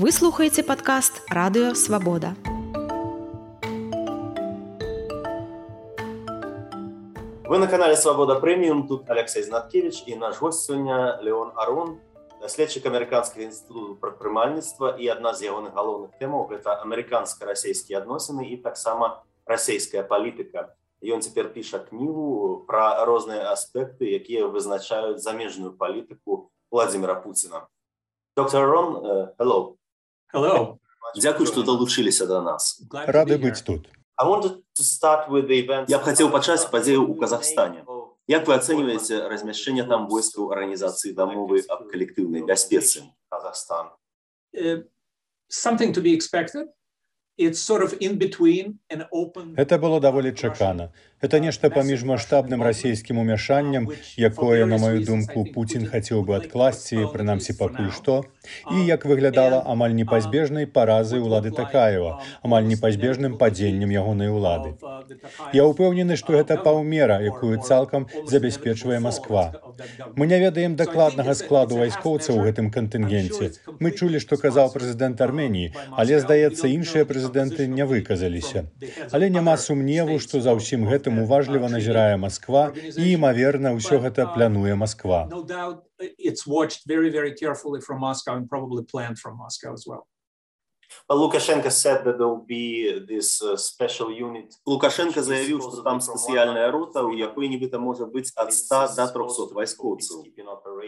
Вы слухаеце падкаст «Радыё Свабода». Вы на канале «Свобода Премиум», тут Алексей Знаткевич и наш гость сегодня Леон Арун, следчик Американского института прадпрымальніцтва, и одна из ягоных галоўных тэмаў – это американско-расейские адносіны и таксама расейская политика. И он теперь пишет книгу про разные аспекты, якія вызначаюць замежную политику Владимира Путина. Доктор Арун, hello. Hello. Дякую, что долучились до нас. Рады быть тут. Я б хотел пачаць падзею ў Казахстане. Як вы оцениваете размяшчэнне там войскаў Организации дамовы аб калектыўнай бяспецы? Something to be expected. It's sort of in between an open... Это было даволі чакана. Это нешта паміж маштабным расійскім умяшаннем, якое, на маю думку, Путін хацеў бы адкласці, прынамсі пакуль што, і, як выглядала, амаль непазбежнай паразай улады Такаева, амаль непазбежным падзеннем ягонай улады. Я ўпэўнены, што гэта паўмера, якую цалкам забяспечвае Масква. Мы не ведаем дакладнага складу вайскоўцаў у гэтым кантынгенце. Мы чулі, што казаў прэзідэнт Арменіі, але, здаецца, іншыя прэзідэнты не выказаліся. Але няма сумневу, што за ўсім гэтым уважліва назірае Масква і, імаверна, ўсё гэта плануе Масква. Лукашенко заявіў, што там спецыяльная рота, у якой нібыта можа быць ад 100 до 300 вайскоўцаў.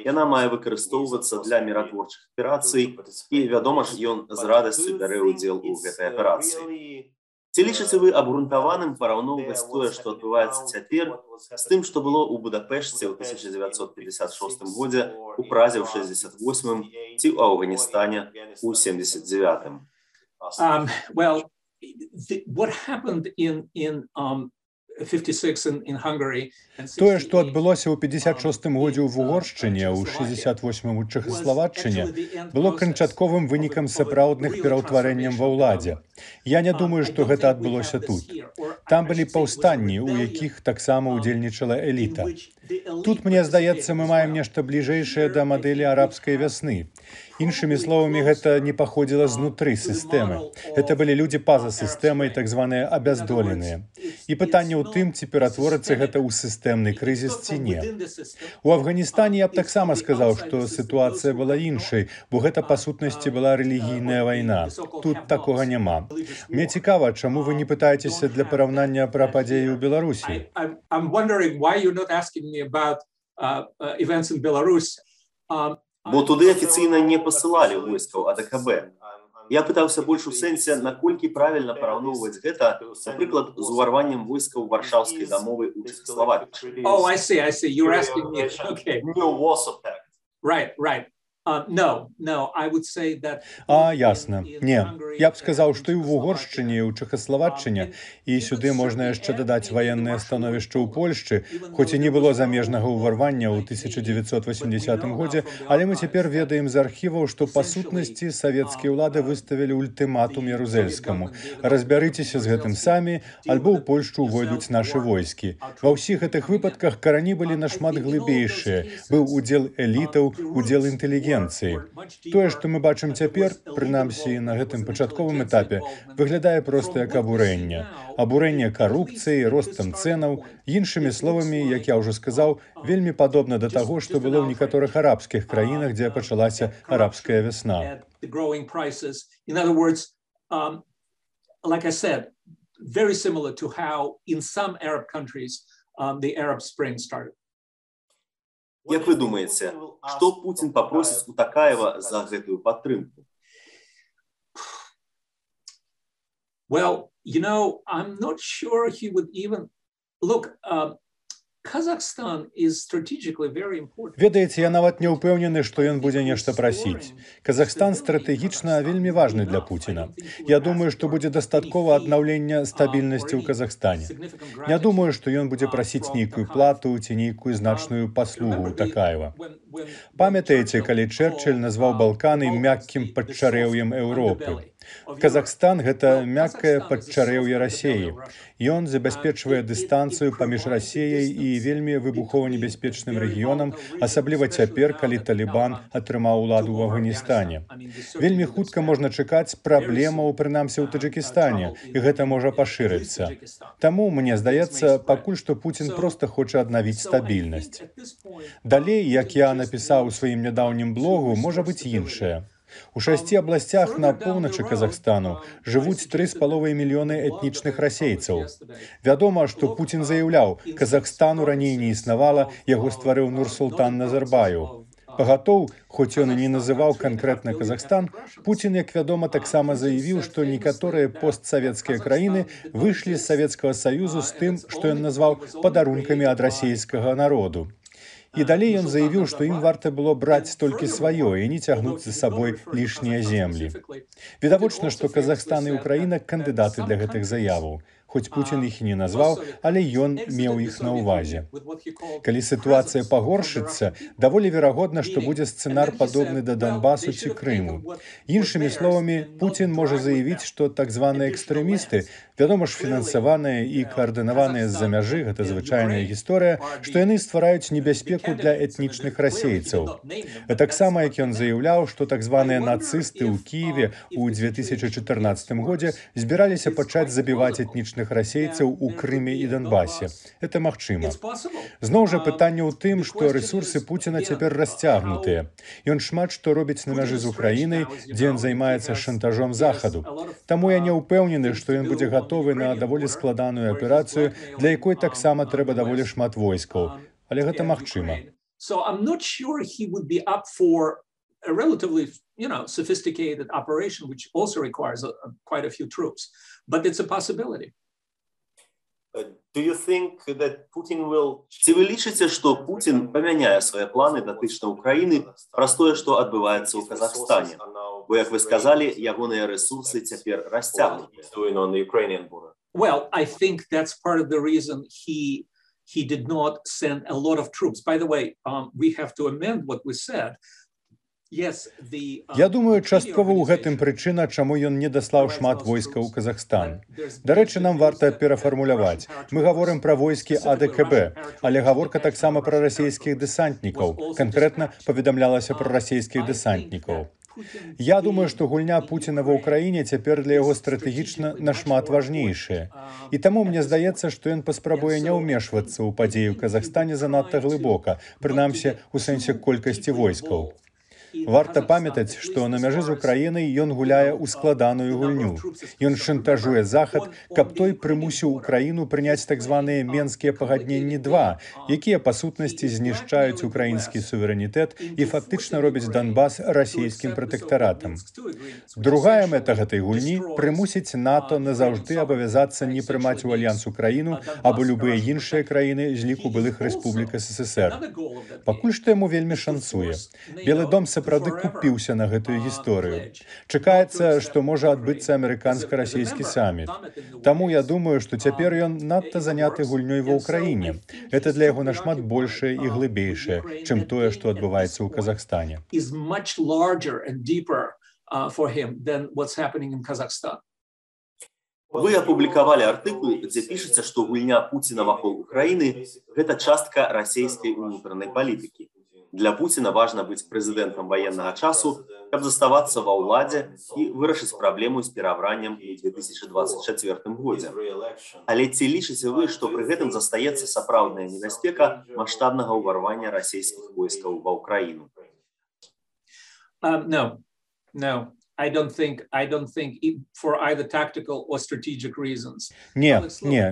Яна мае выкарыстоўвацца для міратворчых аперацый, і, вядома ж, ён з радасцю бярэ ўдзел у гэтай аперацыі. Ці лічыце вы абгрунтаваным параўноўваць тое, што адбываецца цяпер, з тым, што было ў Будапешце ў 1956 годзе, у Празе ў 68-м ці ў Афганістане ў 79-м? Well, what happened in 56 in Hungary. Тое, што адбылося ў 56-м годзе ў Угоршчыне, ў 68-м у Чэхаславаччыне, было канчатковым вынікам сапраўдных пераўтварэнняў ва ўладзе. Я не думаю, што гэта адбылося тут. Там былі паўстанні, у якіх таксама ўдзельнічала эліта. Тут, мне здаецца, мы маем нешта бліжэйшае да мадэлі арабскай вясны. Іншымі словамі, гэта не паходзіла знутры сістэмы. Гэта былі людзі па-за сістэмай, так званыя абяздоленыя. І пытанне ў тым, ці ператворыцца гэта ў сістэмны крызіс ці не. У Афганістане я б таксама сказаў, што сітуацыя была іншай, бо гэта, па сутнасці, была рэлігійная вайна. Тут такога няма. Мне цікава, чаму вы не пытаецеся для параўнання пра падзеі ў Беларусі? I'm wondering why you're not asking me about events in Belarus. Бо туды афіцыйна не пасылалі войскаў АДКБ. Я пытаўся больш у сэнсе, наколькі правільна параўноўваць гэта, напрыклад, з уварваннем войскаў Варшаўскай дамовы ў Чэхаславакіі. Oh, I see. You're asking me. Okay. Right. No, I would say that... Ясна. Не. Я б сказаў, што і ў Угоршчыне, і ў Чэхаславаччыне, і сюды можна яшчэ дадаць ваеннае становішча ў Польшчы, хоць і не было замежнага ўварвання ў 1980 годзе, але мы цяпер ведаем з архіваў, што па сутнасці савецкія ўлады выставілі ультыматум Ярузельскаму. Разбярыцеся з гэтым самі, альбо ў Польшчу ўвойдуць нашы войскі. Ва ўсіх гэтых выпадках карані былі нашмат глыбейшыя. Быў удзел элітаў, удзел інтэлігенцыі. Тое, што мы бачым цяпер, прынамсі на гэтым пачатковым этапе, выглядае проста як абурэнне. Абурэнне карупцыі, ростам цэнаў, іншымі словамі, як я ўжо сказаў, вельмі падобна да таго, што было ў некаторых арабскіх краінах, дзе пачалася арабская вясна. In other words, like I said, very similar to how in some Arab countries the Arab Spring started. Як вы думаеце, што Путін папросіць у Такаева за гэтую падтрымку? Well, I'm not sure he would even... Look, Kazakhstan is strategically very important. Ведаеце, я нават не ўпэўнены, што ён будзе нешта прасіць. Казахстан стратэгічна вельмі важны для Пуціна. Я думаю, што будзе дастаткова аднаўлення стабільнасці ў Казахстане. Не думаю, што ён будзе прасіць нейкую плату ці нейкую значную паслугу ў Такаева. Памятаеце, калі Чэрчыль назваў Балканы мяккім падчарэўем Еўропы? Казахстан – гэта мяккае падчарэўе Расеі. Ён забяспечвае дыстанцыю паміж Расеяй і вельмі выбухова-небяспечным рэгіёнам, асабліва цяпер, калі Талібан атрымаў уладу ў Афганістане. Вельмі хутка можна чакаць праблемаў, прынамсі ў Таджыкістане, і гэта можа пашырыцца. Таму, мне здаецца, пакуль што Пуцін проста хоча аднавіць стабільнасць. Далей, як я напісаў у сваім нядаўнім блогу, можа быць іншае. У 6 абласцях на поўначы Казахстану жывуць 3,5 мільёны этнічных расейцаў. Вядома, што Пуцін заяўляў, Казахстану раней не існавала, яго стварыў Нурсултан Назарбаев. Пагатоў, хоць ён і не называў канкрэтна Казахстан, Пуцін, як вядома, таксама заявіў, што некаторыя постсавецкія краіны выйшлі з Савецкага Саюзу з тым, што ён назваў падарункамі ад расейскага народу. І далей ён заявіў, што ім варта было браць толькі сваё і не цягнуць за сабой лішнія землі. Відавочна, што Казахстан і Украіна кандыдаты для гэтых заяваў. Хоць Пуцін іх і не назваў, але ён меў іх на ўвазе. Калі сітуацыя пагоршыцца, даволі верагодна, што будзе сцэнар падобны да Донбасу ці Крыму. Іншымі словамі, Пуцін можа заявіць, што так званыя экстрэмісты, вядома ж, фінансаваныя і каардынаваныя з-за мяжы, гэта звычайная гісторыя, што яны ствараюць небяспеку для этнічных расейцаў. Таксама, як ён заяўляў, што так званыя нацысты ў Кіеве ў 2014 годзе збіраліся пачаць забіваць этнічных расейцаў у Крыме і Донбасе. Это магчыма. Зноў жа пытанне ў тым, што рэсурсы Пуціна цяпер расцягнутыя. Ён шмат што робіць на мяжы з Украінай, дзе ён займаецца шантажом Захаду. Таму я не ўпэўнены, што ён будзе гатовы на даволі складаную аперацыю, для якой таксама трэба даволі шмат войскаў. Але гэта магчыма. A relatively, sophisticated operation, which also requires quite a few troops, but it's a possibility. Do you think that Putin will... Ці вы лічыце, што Пуцін памяняе свае планы датычна Украіны праз тое, што адбываецца ў Казахстане? Бо, як вы сказалі, ягоныя рэсурсы цяпер расцягнутыя. Well, I think that's part of the reason he did not send a lot of troops. By the way, we have to amend what we said. Я думаю, часткова ў гэтым прычына, чаму ён не даслаў шмат войскаў у Казахстан. Дарэчы, нам варта перафармуляваць. Мы гаворым пра войскі АДКБ, але гаворка таксама пра расейскіх дэсантнікаў. Канкрэтна паведамлялася пра расейскіх дэсантнікаў. Я думаю, што гульня Пуціна ва ўкраіне цяпер для яго стратэгічна нашмат важнейшая. І таму мне здаецца, што ён паспрабуе не ўмешвацца ў падзеі ў Казахстане занадта глыбока, прынамсі ў сэнсе колькасці войскаў. Варта памятаць, што на мяжы з Украінай ён гуляе ў складаную гульню. Ён шантажуе Захад, каб той прымусіў Украіну прыняць так званыя Менскія пагадненні 2, якія па сутнасці знішчаюць украінскі суверэнітэт і фактычна робяць Донбас расійскім пратэктаратам. Другая мэта гэтай гульні – прымусіць НАТО назаўжды абавязацца не прымаць у альянс Украіну або любыя іншыя краіны з ліку былых рэспублік СССР. Пакуль што яму вельмі шанцуе. Белы дом сапраўды купіўся на гэтую гісторыю. Чакаецца, што можа адбыцца амерыканска-расійскі саміт. Таму я думаю, што цяпер ён надта заняты гульнёй ва ўкраіне. Гэта для яго нашмат большае і глыбейшае, чым тое, што адбываецца ў Казахстане. Вы апублікавалі артыкул, дзе пішаце, што гульня Пуціна вакол Украіны – гэта частка расійскай унутранай палітыкі. Для Пуціна важна быць прэзідэнтам ваеннага часу, каб заставацца ва ўладзе і вырашыць праблему з перабраннем у 2024 годзе. Але ці лічыце вы, што пры гэтым застаецца сапраўдная небяспека маштабнага ўварвання расійскіх войскаў ва ўкраіну? No. I don't think for either tactical or strategic reasons. Не,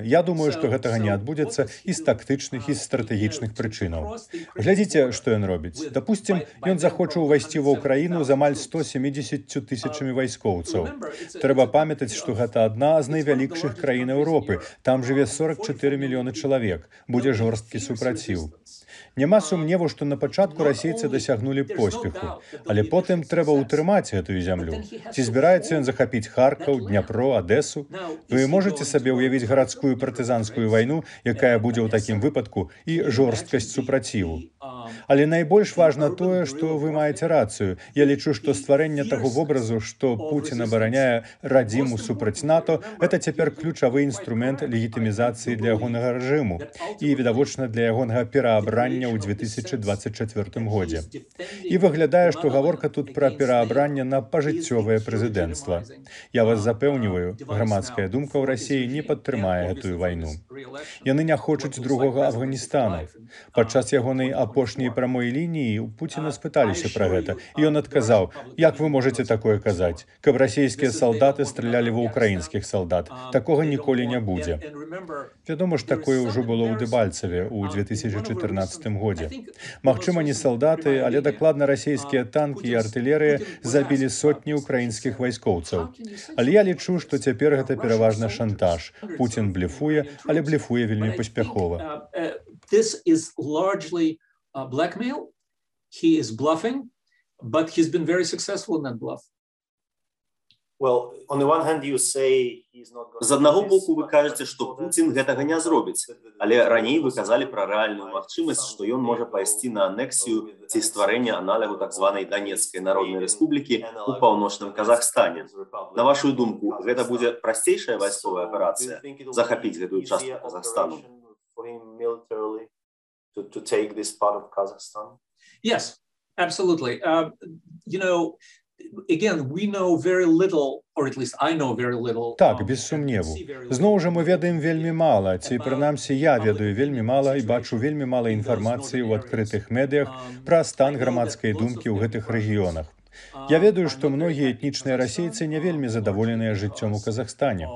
я думаю, што гэтага не адбудзецца і з тактычных, і з стратэгічных прычынаў. Глядзіце, што ён робіць. Дапусцім, ён захоча ўвайсці ва ўкраіну з амаль 170 тысячамі вайскоўцаў. Трэба памятаць, што гэта адна з найвялікшых краін Еўропы. Там жыве 44 мільёны чалавек. Будзе жорсткі супраціў. Няма сумневу, што на пачатку расейцы дасягнулі поспеху, але потым трэба ўтрымаць гэтую зямлю. Ці збіраецца ён захапіць Харкаў, Дняпро, Адэсу? Вы можаце сабе ўявіць гарадскую партызанскую вайну, якая будзе ў такім выпадку, і жорсткасць супраціву? Але найбольш важна тое, што вы маеце рацыю. Я лічу, што стварэнне таго вобразу, што Пуцін абараняе радзіму супраць НАТО, гэта цяпер ключавы інструмент легітымізацыі для ягонага рэжыму і, відавочна, для ягонага пераабрання ў 2024 годзе. І выглядае, што гаворка тут пра пераабранне на пажыццёвае прэзідэнцтва. Я вас запэўніваю, грамадская думка ў Расіі не падтрымае гэтую вайну. Яны не хочуць другога Афганістану. Падчас ягонай апошняй прамой лініі у Пуціна спыталіся пра гэта, і ён адказаў: «Як вы можаце такое казаць? Каб расійскія салдаты стралялі ва ўкраінскіх салдат. Такога ніколі не будзе». Вядома ж, такое ўжо было ў Дэбальцеве ў 2014 годзе. Магчыма, не салдаты, але дакладна расійскія танкі і артылерыя забілі сотні ўкраінскіх вайскоўцаў. Але я лічу, што цяпер гэта пераважна шантаж. Пуцін блефуе, але блефуе вельмі паспяхова. This is largely blackmail. He is bluffing, but he's been very successful in that bluff. З аднаго боку вы кажаце, што Пуцін гэтага не зробіць, але раней вы казалі пра рэальную магчымасць, што ён можа пайсці на анексію ці стварэнне аналогу так званай Данецкай народнай рэспублікі ў паўночным Казахстане. На вашу думку, гэта будзе прасцейшая вайсковая аперацыя захапіць гэтую частку Казахстану? Yes, absolutely. Again, we know very little, or at least I know very little. Так, без сумневу. Зноў жа мы ведаем вельмі мала, ці прынамсі я ведаю вельмі мала і бачу вельмі мала інфармацыі ў адкрытых медыях пра стан грамадскай думкі ў гэтых рэгіёнах. Я ведаю, што многія этнічныя расейцы не вельмі задаволеныя жыццём у Казахстане.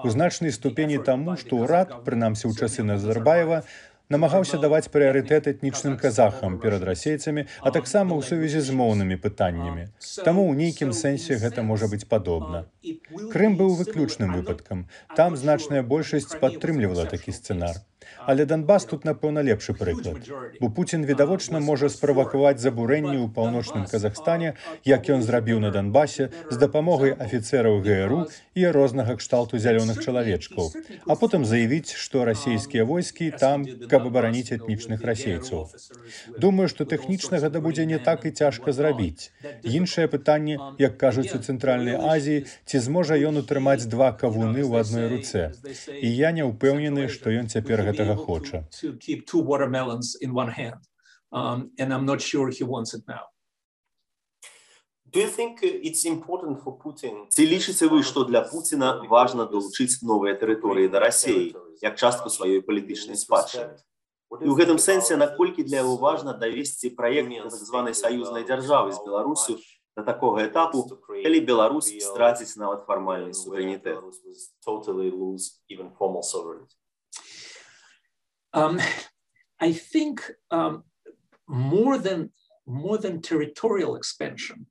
У значнай ступені таму, што ўрад, прынамсі ў часы Назарбаева, намагаўся даваць прыярытэт этнічным казахам перад расейцамі, а таксама ў сувязі з моўнымі пытаннямі. Таму ў нейкім сэнсе гэта можа быць падобна. Крым быў выключным выпадкам. Там значная большасць падтрымлівала такі сцэнар. Але Донбас тут, напэўна, лепшы прыклад. Бо Пуцін відавочна можа справакаваць забурэнні ў паўночным Казахстане, як ён зрабіў на Донбасе, з дапамогай афіцэраў ГРУ і рознага кшталту зялёных чалавечкаў, а потым заявіць, што расійскія войскі там, каб абараніць этнічных расейцаў. Думаю, што тэхнічна гэта будзе не так і цяжка зрабіць. Іншае пытанне, як кажуць у Цэнтральнай Азіі, ці зможа ён утрымаць два кавуны ў адной руцэ. І я не ўпэўнены, што ён цяпер гэтага хоча. Ці лічыце вы, што для Пуціна важна долучыць новыя тэрыторыі да Расіі, як частку сваёй палітычнай спадчыны? І ў гэтым сэнсе, наколькі для яго важна давесці праект так званай саюзнай дзяржавы з Беларусю да такога этапу, калі Беларусь страціць нават фармальны суверэнітэт? I think more than territorial expansion.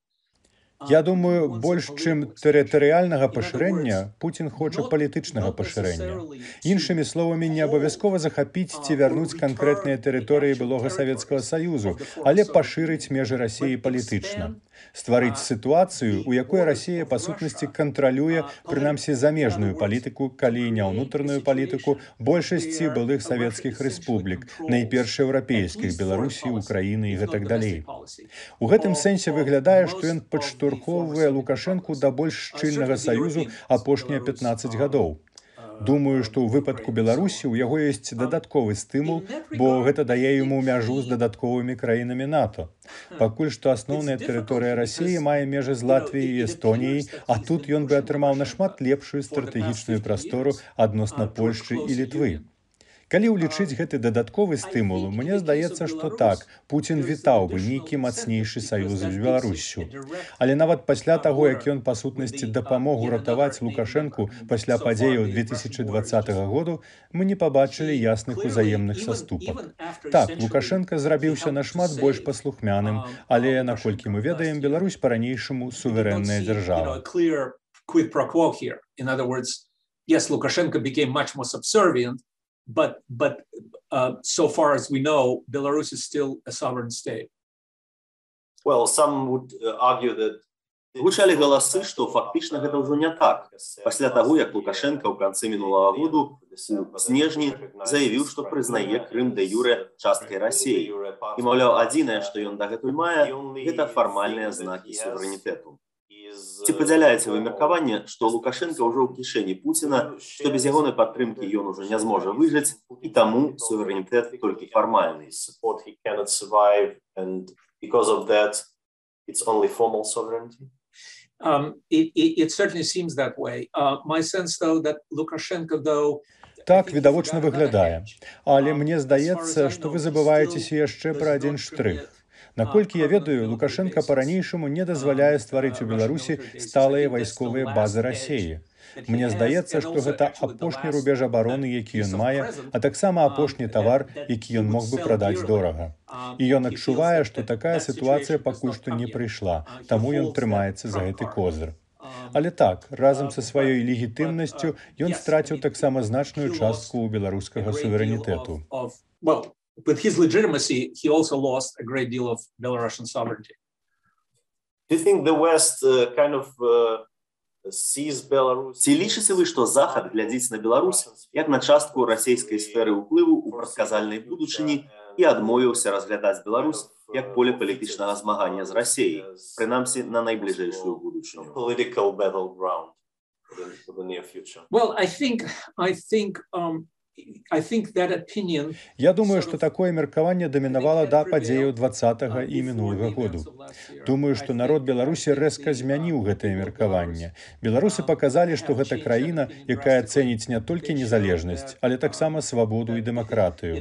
Я думаю, больш чым тэрытарыяльнага пашырэння, Пуцін хоча палітычнага пашырэння. Іншымі словамі, не абавязкова захапіць ці вярнуць канкрэтныя тэрыторыі былога Савецкага Саюзу, але пашырыць межы Расіі палітычна. Стварыць сітуацыю, у якой Расія, па сутнасці, кантралюе, прынамсі, замежную палітыку, калі не ўнутраную палітыку, большасці былых савецкіх рэспублік, найперш еўрапейскіх, Беларусі, Украіны і гэтак далей. У гэтым сэнсе выглядае, што ён падштурхоўвае Лукашэнку да больш шчыльнага саюзу апошнія 15 гадоў. Думаю, што ў выпадку Беларусі ў яго ёсць дадатковы стымул, бо гэта дае яму мяжу з дадатковымі краінамі НАТО. Пакуль што асноўная тэрыторыя Расіі мае межы з Латвіяй і Эстоніяй, а тут ён бы атрымаў нашмат лепшую стратэгічную прастору адносна Польшчы і Літвы. Калі ўлічыць гэты дадатковы стымул, мне здаецца, што так, Пуцін вітаў бы нейкі мацнейшы саюз з Беларуссю. Але нават пасля таго, як ён па сутнасці дапамог уратаваць Лукашэнку пасля падзеяў 2020 году, мы не пабачылі ясных узаемных саступак. Так, Лукашенка зрабіўся нашмат больш паслухмяным, але, наколькі мы ведаем, Беларусь па-ранейшаму суверэнная дзяржава. But so far as we know, Belarus is still a sovereign state. Well, some would argue that Гучалі галасы, што фактычна гэта ўжо не так. Пасля таго, як Лукашенка ў канцы мінулага году у снежні заявіў, што прызнае Крым дэ-юрэ часткай Расіі. І, маўляў, адзінае, што ён дагэтуль мае, гэта фармальныя знакі суверэнітэту. Ці падзяляеце вы меркаванне, што Лукашенка ўжо ў кішэні Пуціна, што без ягонай падтрымкі ён ужо не зможа выжыць, і таму суверэнітэт толькі фармальны? It certainly seems that way. My sense, though, that Lukashenko, though, Так відавочна выглядае. Але мне здаецца, што вы забываецеся яшчэ пра адзін штрых. Наколькі я ведаю, Лукашенка па-ранейшаму не дазваляе стварыць у Беларусі сталыя вайсковыя базы Расіі. Мне здаецца, што гэта апошні рубеж абароны, які ён мае, а таксама апошні тавар, які ён мог бы прадаць дорага. І ён адчувае, што такая сітуацыя пакуль што не прыйшла, таму ён трымаецца за гэты козыр. Але так, разам са сваёй легітымнасцю ён страціў таксама значную частку ў беларускага суверэнітэту. With his legitimacy, he also lost a great deal of Belarusian sovereignty. Do you think the West Ці лічыце вы, што Захад глядзіць на Беларусь як на частку расійскай сферы ўплыву ў прадказальнай будучыні і адмовіўся разглядаць Беларусь як поле палітычнага змагання з Расіяй, прынамсі на найбліжэйшую будучыню? Well, I think that opinion. Я думаю, што такое меркаванне дамінавала да падзеяў 20-го і мінулага году. Думаю, што народ Беларусі рэзка змяніў гэтае меркаванне. Беларусы паказалі, што гэта краіна, якая цэніць не толькі незалежнасць, але таксама свабоду і дэмакратыю.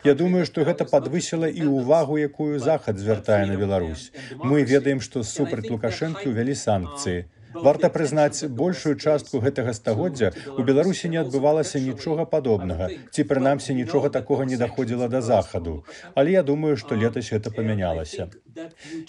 Я думаю, што гэта падвысіла і ўвагу, якую Захад звяртае на Беларусь. Мы ведаем, што супраць Лукашэнкі ўвялі санкцыі. Варта прызнаць, большую частку гэтага стагоддзя ў Беларусі не адбывалася нічога падобнага, ці прынамсі нічога такога не даходзіла да Захаду. Але я думаю, што летась гэта памянялася.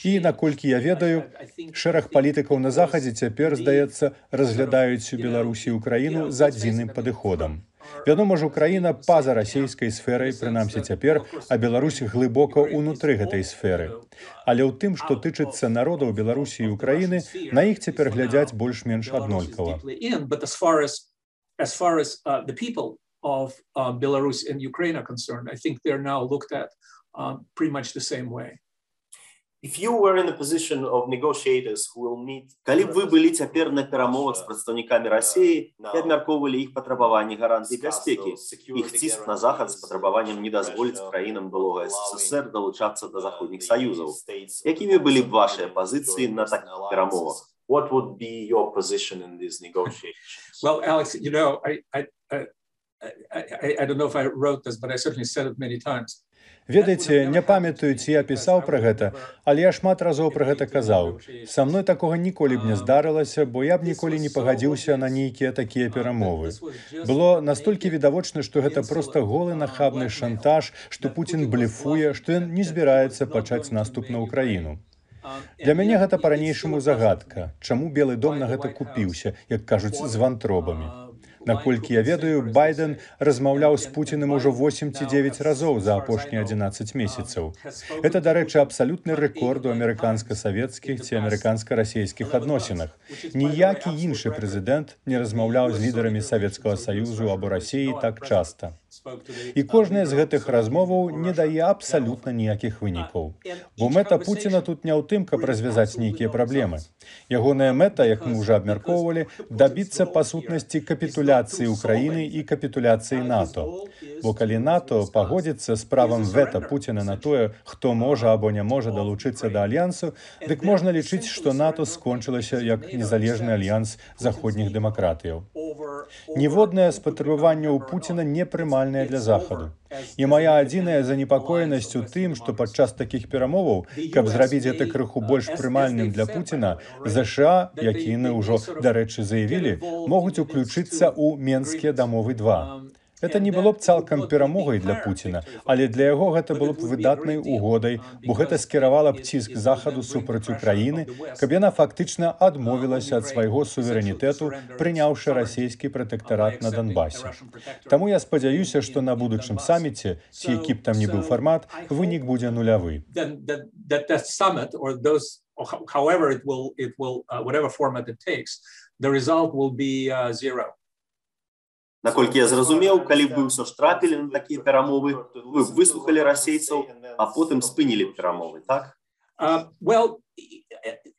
І, наколькі я ведаю, шэраг палітыкаў на Захадзе цяпер, здаецца, разглядаюць Беларусі і Украіну з адзіным падыходам. Вядома ж, Украіна па-за расійскай сферай, прынамсі цяпер, а Беларусь глыбока ўнутры гэтай сферы. Але ў тым, што тычыцца народаў Беларусі і Украіны, на іх цяпер глядзяць больш-менш аднолькава. As far as the people of Belarus and Ukraine are concerned, I think they're now looked at pretty much the same way. Калі б вы былі цяпер на перамовах з прадстаўнікамі Расіі і абмяркоўвалі іх патрабаванні гарантыі бяспекі, іх ціск на Захад з патрабаваннем не дазволіць краінам былога СССР далучацца да заходніх саюзаў, якімі былі б вашыя пазіцыі на такіх перамовах? What would be your position in these negotiations? Well, Alex, you know, I don't know if I wrote this, but I certainly said it many times. Ведаеце, не памятаю, ці я пісаў пра гэта, але я шмат разоў пра гэта казаў. Са мной такога ніколі б не здарылася, бо я б ніколі не пагадзіўся на нейкія такія перамовы. Было настолькі відавочна, што гэта проста голы нахабны шантаж, што Пуцін блефуе, што ён не збіраецца пачаць наступ на Украіну. Для мяне гэта па-ранейшаму загадка, чаму Белы дом на гэта купіўся, як кажуць, з вантробамі. Наколькі я ведаю, Байден размаўляў з Пуціным ужо 8 ці 9 разоў за апошнія 11 месяцаў. Гэта, дарэчы, абсалютны рэкорд у амерыканска-савецкіх ці амерыканска-расійскіх адносінах. Ніякі іншы прэзідэнт не размаўляў з лідарамі Савецкага Саюзу або Расіі так часта. І кожная з гэтых размоваў не дае абсалютна ніякіх вынікаў. Бо мэта Пуціна тут не ў тым, каб развязаць нейкія праблемы. Ягоная мэта, як мы ўжо абмяркоўвалі, дабіцца па сутнасці капітуляцыі Украіны і капітуляцыі НАТО. Бо калі НАТО пагодзіцца з правам вета Пуціна на тое, хто можа або не можа далучыцца да альянсу, дык можна лічыць, што НАТО скончылася як незалежны альянс заходніх дэмакратыяў. Ніводнае з патрабаванняў Пуціна не прымальнае для Захаду. І мая адзіная занепакоенасць у тым, што падчас такіх перамоваў, каб зрабіць гэта крыху больш прымальным для Пуціна, ЗША, якія яны ўжо, дарэчы, заявілі, могуць уключыцца ў Менскія дамовы 2. Это не было б цалкам перамогай для Пуціна, але для яго гэта было б выдатнай угодай, бо гэта скіравала б ціск Захаду супраць Украіны, каб яна фактычна адмовілася ад свайго суверэнітэту, прыняўшы расійскі пратэктарат на Донбасе. Таму я спадзяюся, што на будучым саміце, ці які б там ні быў фармат, вынік будзе нулявы. however it will whatever format it takes, the result will be zero. Наколькі я зразумеў, калі б вы ўсё ж трапілі на такія перамовы, вы б выслухалі расейцаў, а потым спынілі перамовы, так? Well,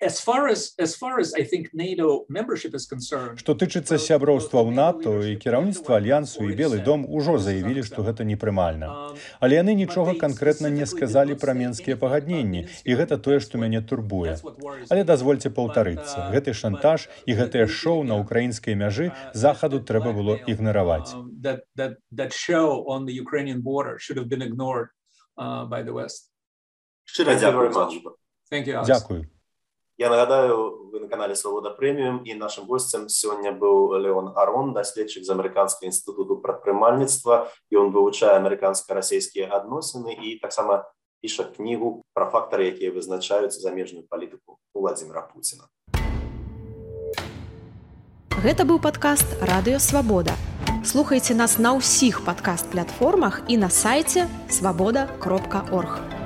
as far as I think NATO membership is concerned, Што тычыцца сяброўства ў НАТО і кіраўніцтва альянсу і Белы дом ужо заявілі, што гэта непрымальна. Але яны нічога канкрэтна не сказалі пра менскія пагадненні, і гэта тое, што мяне турбуе. Але дазвольце паўтарыцца, гэты шантаж і гэтае шоу на украінскай мяжы захаду трэба было ігнараваць. That show on the Ukrainian border should have been ignored by the West. Щиро дякую вам. Дякую. Я нагадаю, ви на каналі Свобода Преміум, і нашим гостем сьогодні був Леон Арон, дослідчик з Американського інституту предпринимальництва, і він вивчає американсько-російські відносини і так само пише книгу про фактори, які визначають заміжну політику Владимира Путіна. Гэта быў падкаст «Радыё Свабода». Слухайце нас на ўсіх падкаст-платформах і на сайце swaboda.org.